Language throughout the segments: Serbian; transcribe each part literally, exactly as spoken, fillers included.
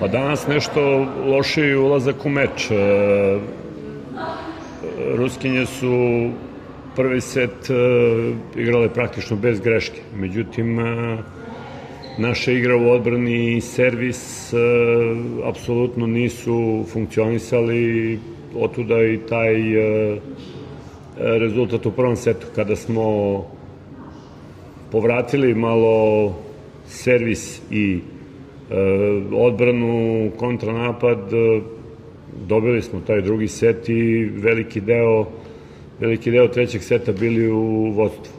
Pa danas nešto lošiji ulazak u meč. Ruskinje su prvi set igrale praktično bez greške. Međutim, naša igra u odbrani i servis apsolutno nisu funkcionisali, otuda i taj rezultat u prvom setu. Kada smo povratili malo servis i odbranu, kontranapad, dobili smo taj drugi set i veliki deo veliki deo trećeg seta bili u vodstvu.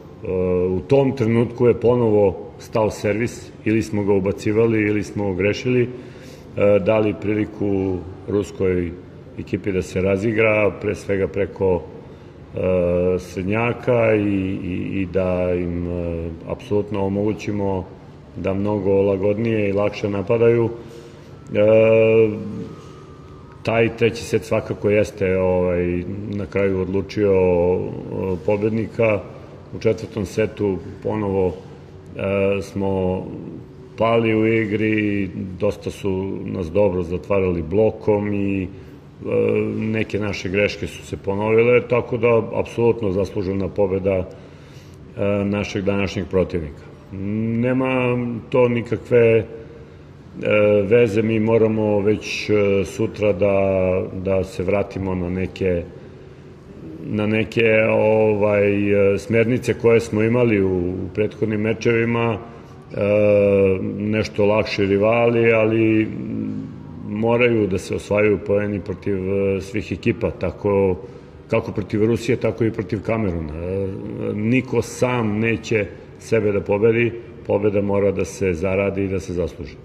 U tom trenutku je ponovo stao servis, ili smo ga ubacivali ili smo grešili, dali priliku ruskoj ekipi da se razigra, pre svega preko srednjaka i da im apsolutno omogućimo da mnogo lagodnije i lakše napadaju. Taj treći set svakako jeste na kraju odlučio pobednika. U četvrtom setu ponovo smo pali u igri, dosta su nas dobro zatvarali blokom i neke naše greške su se ponovile, tako da apsolutno zaslužena pobeda našeg današnjeg protivnika. Nema to nikakve veze, mi moramo već sutra da se vratimo na neke na neke smernice koje smo imali u prethodnim mečevima, nešto lakši rivali, ali moraju da se osvajaju poeni protiv svih ekipa, tako kako protiv Rusije, tako i protiv Kameruna. Niko sam neće sebe da pobedi, pobeda mora da se zaradi i da se zasluži.